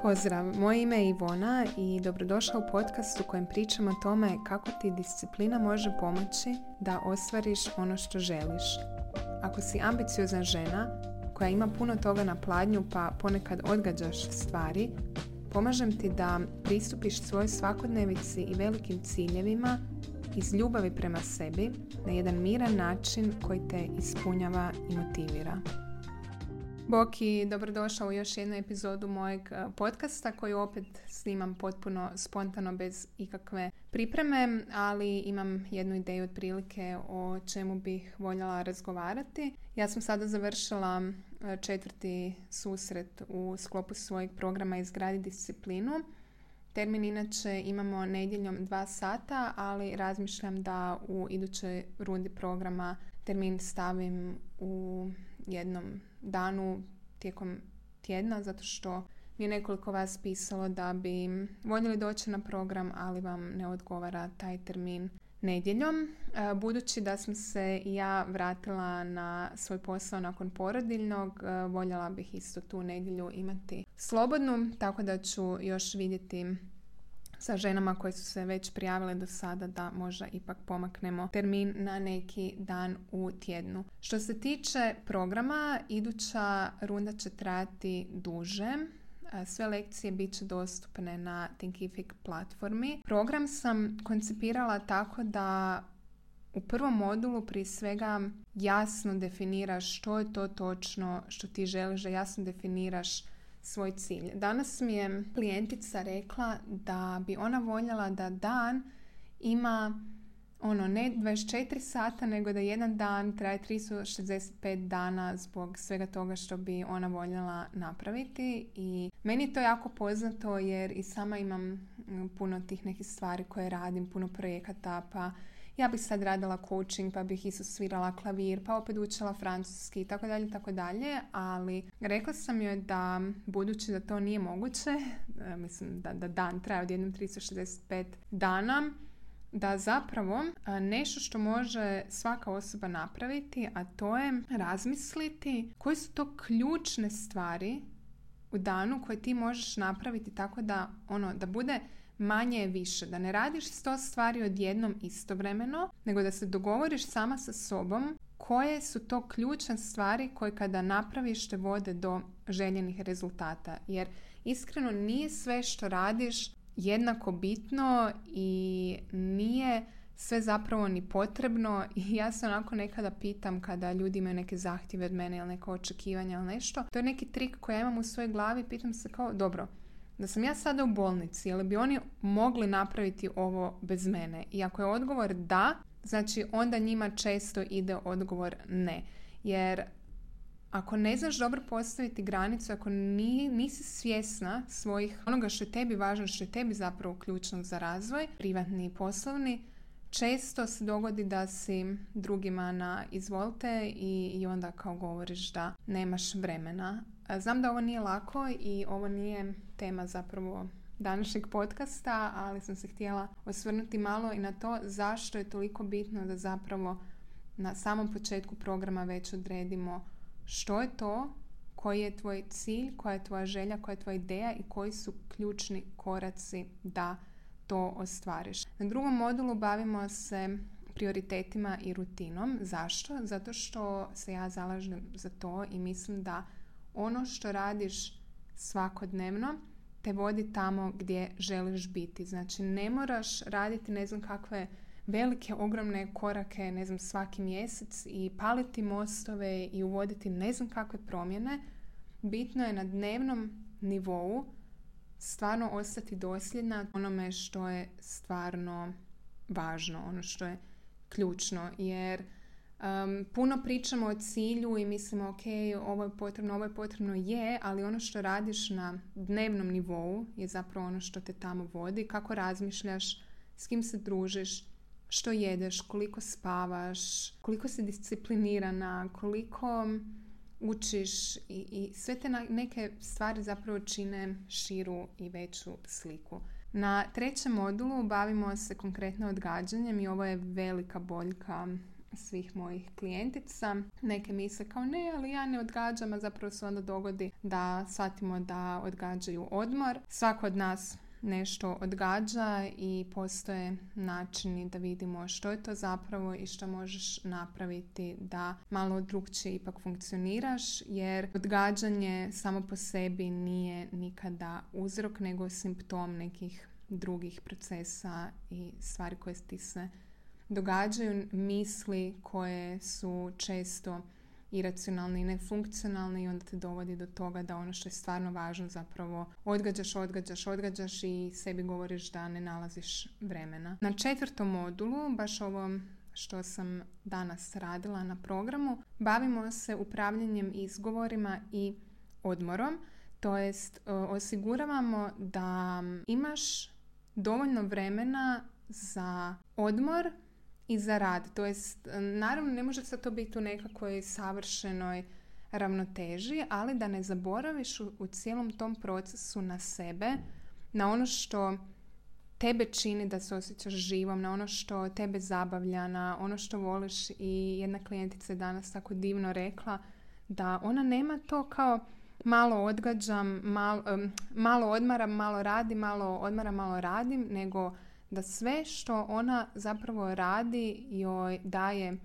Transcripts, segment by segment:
Pozdrav, moje ime je Ivona i dobrodošla u podcast u kojem pričam o tome kako ti disciplina može pomoći da ostvariš ono što želiš. Ako si ambiciozna žena koja ima puno toga na pladnju pa ponekad odgađaš stvari, pomažem ti da pristupiš svojoj svakodnevici i velikim ciljevima iz ljubavi prema sebi na jedan miran način koji te ispunjava i motivira. Bok i dobrodošao u još jednu epizodu mojeg podcasta koju opet snimam potpuno spontano bez ikakve pripreme, ali imam jednu ideju otprilike o čemu bih voljela razgovarati. Ja sam sada završila 4. susret u sklopu svojeg programa Izgradi disciplinu. Termin inače imamo nedjeljom 2 sata, ali razmišljam da u idućoj rundi programa termin stavim u jednom danu tijekom tjedna, zato što mi je nekoliko vas pisalo da bi voljeli doći na program, ali vam ne odgovara taj termin nedjeljom. Budući da sam se ja vratila na svoj posao nakon porodiljnog, voljela bih isto tu nedjelju imati slobodnu, tako da ću još vidjeti sa ženama koje su se već prijavile do sada da možda ipak pomaknemo termin na neki dan u tjednu. Što se tiče programa, iduća runda će trajati duže. Sve lekcije bit će dostupne na Thinkific platformi. Program sam koncipirala tako da u prvom modulu prije svega jasno definiraš što je to točno što ti želiš, da jasno definiraš svoj cilj. Danas mi je klijentica rekla da bi ona voljela da dan ima ne 24 sata, nego da jedan dan traje 365 dana zbog svega toga što bi ona voljela napraviti. I meni je to jako poznato jer i sama imam puno tih nekih stvari koje radim, puno projekata, pa ja bih sad radila coaching, pa bih isto svirala klavir, pa opet učila francuski, tako dalje, ali rekla sam joj da, budući da to nije moguće, mislim da dan traje od jednom 365 dana, da zapravo nešto što može svaka osoba napraviti, a to je razmisliti koje su to ključne stvari u danu koje ti možeš napraviti tako da da bude manje je više, da ne radiš 100 stvari odjednom istovremeno, nego da se dogovoriš sama sa sobom koje su to ključne stvari koje kada napraviš te vode do željenih rezultata. Jer iskreno nije sve što radiš jednako bitno i nije sve zapravo ni potrebno. I ja se onako nekada pitam kada ljudi imaju neke zahtjeve od mene ili neka očekivanja ili nešto. To je neki trik koji ja imam u svojoj glavi, pitam se kao, dobro, da sam ja sada u bolnici, ali bi oni mogli napraviti ovo bez mene? I ako je odgovor da, znači onda njima često ide odgovor ne. Jer ako ne znaš dobro postaviti granicu, ako nisi svjesna svojih onoga što je tebi važno, što je tebi zapravo ključno za razvoj, privatni i poslovni, često se dogodi da si drugima na izvolte i onda kao govoriš da nemaš vremena. Znam da ovo nije lako i ovo nije tema zapravo današnjeg podcasta, ali sam se htjela osvrnuti malo i na to zašto je toliko bitno da zapravo na samom početku programa već odredimo što je to, koji je tvoj cilj, koja je tvoja želja, koja je tvoja ideja i koji su ključni koraci da to ostvariš. Na drugom modulu bavimo se prioritetima i rutinom. Zašto? Zato što se ja zalažem za to i mislim da ono što radiš svakodnevno te vodi tamo gdje želiš biti. Znači ne moraš raditi ne znam kakve velike, ogromne korake, ne znam, svaki mjesec i paliti mostove i uvoditi ne znam kakve promjene. Bitno je na dnevnom nivou stvarno ostati dosljedna onome što je stvarno važno, ono što je ključno, jer puno pričamo o cilju i mislimo ok, ovo je potrebno, ali ono što radiš na dnevnom nivou je zapravo ono što te tamo vodi, kako razmišljaš, s kim se družiš, što jedeš, koliko spavaš, koliko si disciplinirana, koliko učiš i sve te neke stvari zapravo čine širu i veću sliku. Na trećem modulu bavimo se konkretno odgađanjem i ovo je velika boljka svih mojih klijentica. Neke misle kao ne, ali ja ne odgađam, a zapravo se onda dogodi da shvatimo da odgađaju odmor. Svako od nas nešto odgađa i postoje načini da vidimo što je to zapravo i što možeš napraviti da malo drukčije ipak funkcioniraš, jer odgađanje samo po sebi nije nikada uzrok, nego simptom nekih drugih procesa i stvari koje ti se događaju, misli koje su često iracionalni i nefunkcionalni i onda te dovodi do toga da ono što je stvarno važno zapravo odgađaš i sebi govoriš da ne nalaziš vremena. Na 4. modulu, baš ovo što sam danas radila na programu, bavimo se upravljanjem izgovorima i odmorom, to jest osiguravamo da imaš dovoljno vremena za odmor i za rad. To jest, naravno ne može sad to biti u nekakvoj savršenoj ravnoteži, ali da ne zaboraviš u cijelom tom procesu na sebe, na ono što tebe čini da se osjećaš živom, na ono što tebe zabavlja, na ono što voliš. I jedna klijentica je danas tako divno rekla da ona nema to kao malo odgađam, malo odmaram, malo radim, malo odmaram, malo radim, nego da sve što ona zapravo radi joj daje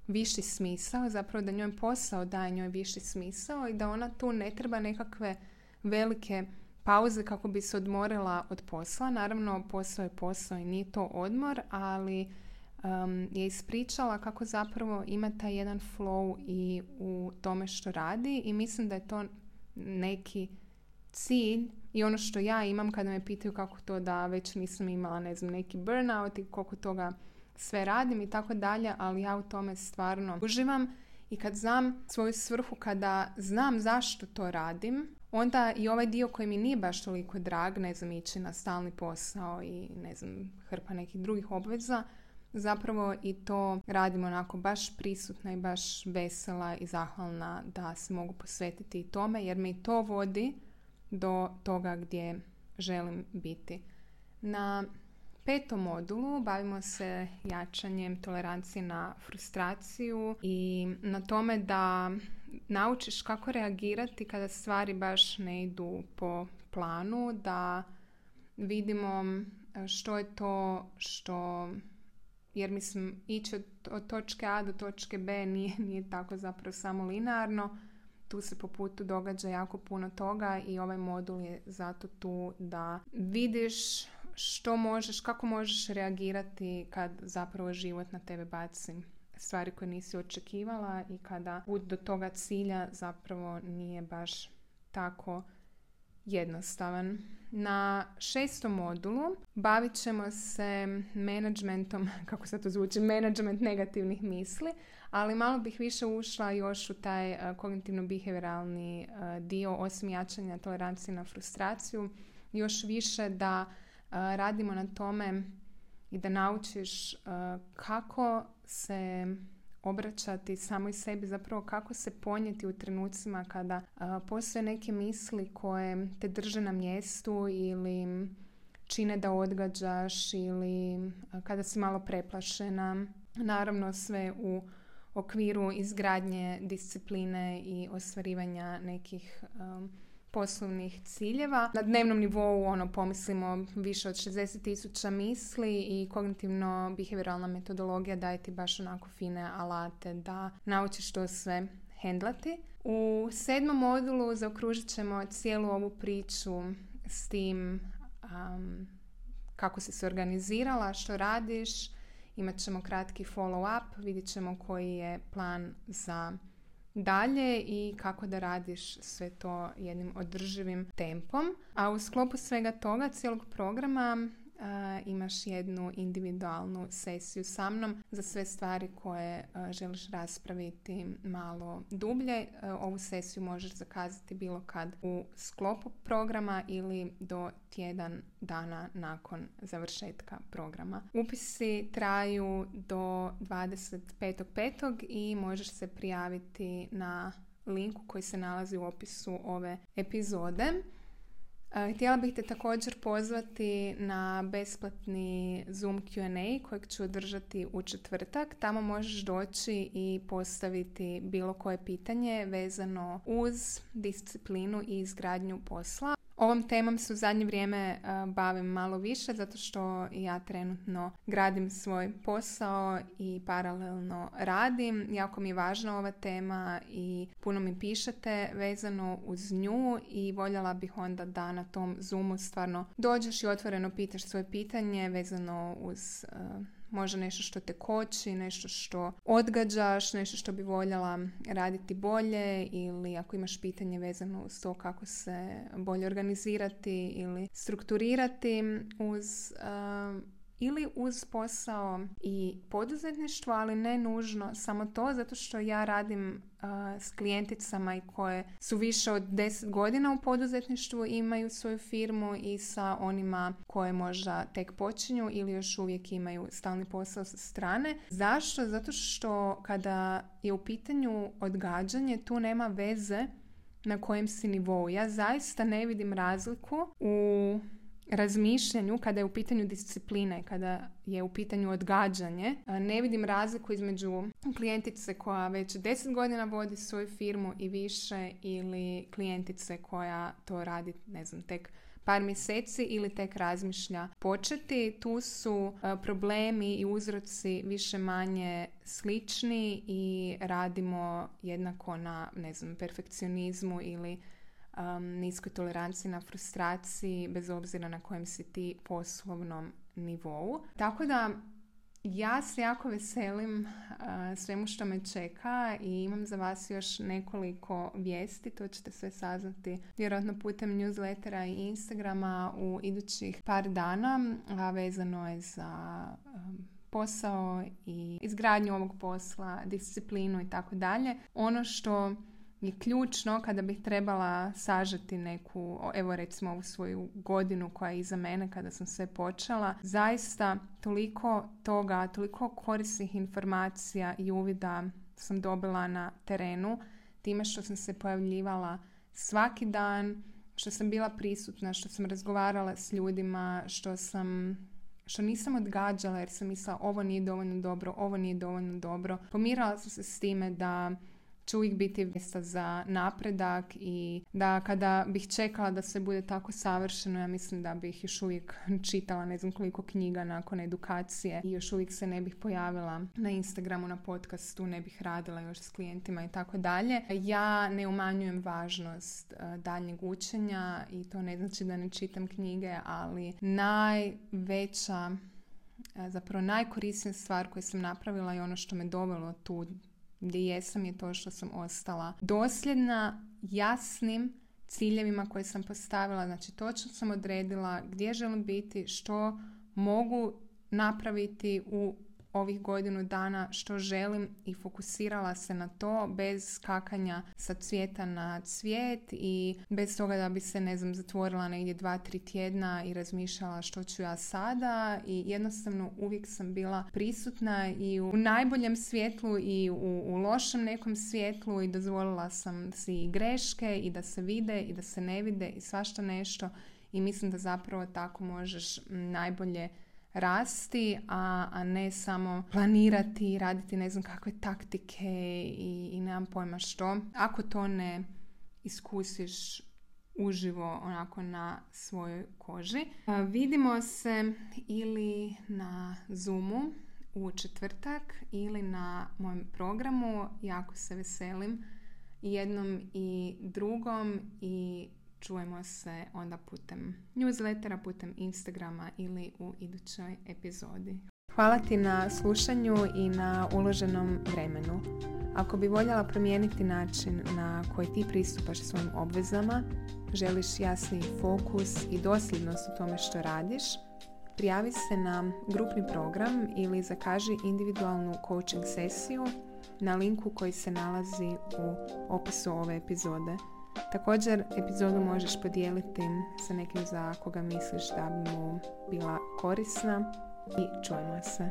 viši smisao, zapravo da njoj posao daje njoj viši smisao i da ona tu ne treba nekakve velike pauze kako bi se odmorila od posla. Naravno, posao je posao i nije to odmor, ali je ispričala kako zapravo ima taj jedan flow i u tome što radi i mislim da je to neki cilj i ono što ja imam kada me pitaju kako to da već nisam imala, ne znam, neki burnout i koliko toga sve radim i tako dalje, ali ja u tome stvarno uživam i kad znam svoju svrhu, kada znam zašto to radim, onda i ovaj dio koji mi nije baš toliko drag, ne znam, ići na stalni posao i ne znam, hrpa nekih drugih obveza, zapravo i to radim onako baš prisutna i baš vesela i zahvalna da se mogu posvetiti i tome, jer me i to vodi do toga gdje želim biti. Na 5. modulu bavimo se jačanjem tolerancije na frustraciju i na tome da naučiš kako reagirati kada stvari baš ne idu po planu, da vidimo što je to što, jer mislim ići od točke A do točke B nije tako zapravo samo linearno. Tu se po putu događa jako puno toga i ovaj modul je zato tu da vidiš što možeš, kako možeš reagirati kad zapravo život na tebe baci stvari koje nisi očekivala i kada put do toga cilja zapravo nije baš tako jednostavan. Na 6. modulu bavit ćemo se managementom, kako sad to zvuči, management negativnih misli, ali malo bih više ušla još u taj kognitivno-behavioralni dio, osim jačanja tolerancije na frustraciju, još više da radimo na tome i da naučiš kako se obraćati samoj sebi, zapravo kako se ponijeti u trenucima kada postoje neke misli koje te drže na mjestu ili čine da odgađaš ili kada si malo preplašena. Naravno sve u okviru izgradnje discipline i ostvarivanja nekih poslovnih ciljeva. Na dnevnom nivou pomislimo više od 60,000 misli i kognitivno-behavioralna metodologija daje ti baš onako fine alate da naučiš to sve hendlati. U 7. modulu zaokružit ćemo cijelu ovu priču s tim kako si se organizirala, što radiš. Imat ćemo kratki follow-up, vidjet ćemo koji je plan za dalje i kako da radiš sve to jednim održivim tempom. A u sklopu svega toga, cijelog programa, imaš jednu individualnu sesiju sa mnom za sve stvari koje želiš raspraviti malo dublje. Ovu sesiju možeš zakazati bilo kad u sklopu programa ili do tjedan dana nakon završetka programa. Upisi traju do 25.5. i možeš se prijaviti na linku koji se nalazi u opisu ove epizode. Htjela bih te također pozvati na besplatni Zoom Q&A kojeg ću održati u četvrtak. Tamo možeš doći i postaviti bilo koje pitanje vezano uz disciplinu i izgradnju posla. Ovom temom se u zadnje vrijeme bavim malo više zato što ja trenutno gradim svoj posao i paralelno radim. Jako mi je važna ova tema i puno mi pišete vezano uz nju i voljela bih onda da na tom Zoomu stvarno dođeš i otvoreno pitaš svoje pitanje vezano uz možda nešto što te koči, nešto što odgađaš, nešto što bi voljela raditi bolje ili ako imaš pitanje vezano uz to kako se bolje organizirati ili strukturirati ili uz posao i poduzetništvo, ali ne nužno samo to, zato što ja radim s klijenticama i koje su više od 10 godina u poduzetništvu, imaju svoju firmu i sa onima koje možda tek počinju ili još uvijek imaju stalni posao sa strane. Zašto? Zato što kada je u pitanju odgađanje, tu nema veze na kojem si nivou. Ja zaista ne vidim razliku u razmišljanju kada je u pitanju discipline, kada je u pitanju odgađanje. Ne vidim razliku između klijentice koja već 10 godina vodi svoju firmu i više ili klijentice koja to radi, ne znam, tek par mjeseci ili tek razmišlja početi. Tu su problemi i uzroci više manje slični i radimo jednako na, ne znam, perfekcionizmu ili niskoj toleranciji na frustraciji, bez obzira na kojem si ti poslovnom nivou. Tako da ja se jako veselim svemu što me čeka i imam za vas još nekoliko vijesti. To ćete sve saznati vjerojatno putem newslettera i Instagrama u idućih par dana, a vezano je za posao i izgradnju ovog posla, disciplinu i tako dalje. Ono što je ključno kada bih trebala sažeti neku, evo recimo ovu svoju godinu koja je iza mene kada sam sve počela, zaista toliko toga, toliko korisnih informacija i uvida sam dobila na terenu, time što sam se pojavljivala svaki dan, što sam bila prisutna, što sam razgovarala s ljudima, što nisam odgađala jer sam mislila ovo nije dovoljno dobro. Pomirala sam se s time da će uvijek biti mjesta za napredak i da kada bih čekala da sve bude tako savršeno, ja mislim da bih još uvijek čitala ne znam koliko knjiga nakon edukacije i još uvijek se ne bih pojavila na Instagramu, na podcastu, ne bih radila još s klijentima i tako dalje. Ja ne umanjujem važnost daljnjeg učenja i to ne znači da ne čitam knjige, ali najkorisnija stvar koju sam napravila i ono što me dovelo tu gdje jesam je to što sam ostala dosljedna jasnim ciljevima koje sam postavila. Znači točno sam odredila gdje želim biti, što mogu napraviti u ovih godinu dana, što želim i fokusirala se na to bez skakanja sa cvijeta na cvijet i bez toga da bi se, ne znam, zatvorila negdje 2-3 tjedna i razmišljala što ću ja sada i jednostavno uvijek sam bila prisutna i u najboljem svjetlu i u lošem nekom svjetlu i dozvolila sam si i greške i da se vide i da se ne vide i svašta nešto i mislim da zapravo tako možeš najbolje rasti, a ne samo planirati i raditi ne znam kakve taktike i nemam pojma što. Ako to ne iskusiš uživo onako na svojoj koži. Vidimo se ili na Zoomu u četvrtak ili na mojem programu. Jako se veselim i jednom i drugom i čujemo se onda putem newslettera, putem Instagrama ili u idućoj epizodi. Hvala ti na slušanju i na uloženom vremenu. Ako bi voljela promijeniti način na koji ti pristupaš svojim obvezama, želiš jasniji fokus i dosljednost u tome što radiš, prijavi se na grupni program ili zakaži individualnu coaching sesiju na linku koji se nalazi u opisu ove epizode. Također, epizodu možeš podijeliti sa nekim za koga misliš da bi mu bila korisna i čujemo se.